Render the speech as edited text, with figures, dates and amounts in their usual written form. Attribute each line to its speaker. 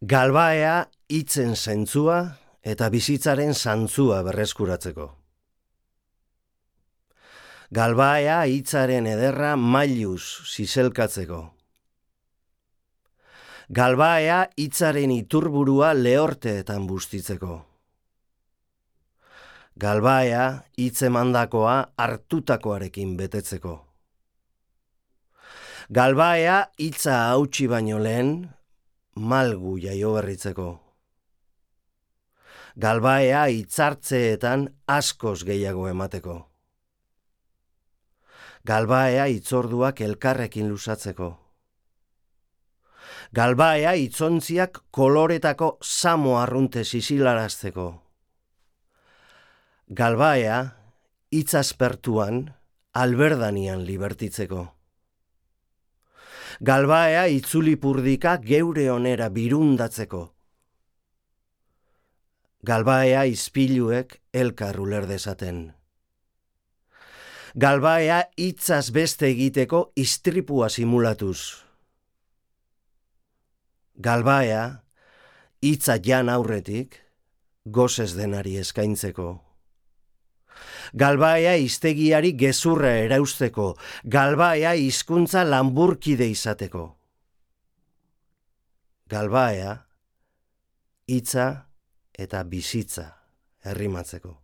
Speaker 1: Galbaea hitzen zentzua eta bizitzaren zantzua berreskuratzeko. Galbaea hitzaren ederra mailuz zizelkatzeko. Galbaea hitzaren iturburua lehorteetan bustitzeko. Galbaea hitz emandakoa hartutakoarekin betetzeko. Galbaea hitza hautsi baino lehen malgu jaioberritzeko. Galbaea hitzartzeetan askoz gehiago emateko. Galbaea hitzorduak elkarrekin luzatzeko. Galbaea hitzontziak koloretako samo arrunte zisilarazteko. Galbaea hitz aspertuan alberdanian libertitzeko. Galbaea itzulipurdika geure onera birundatzeko. Galbaea izpiluek elkar uler dezaten. Galbaea hitzaz beste egiteko istripua simulatuz. Galbaea hitza jan aurretik gozez denari eskaintzeko. Galbaea hiztegiari gezurra erausteko, galbaea hizkuntza lanburkide izateko. Galbaea hitza eta bizitza errimatzeko.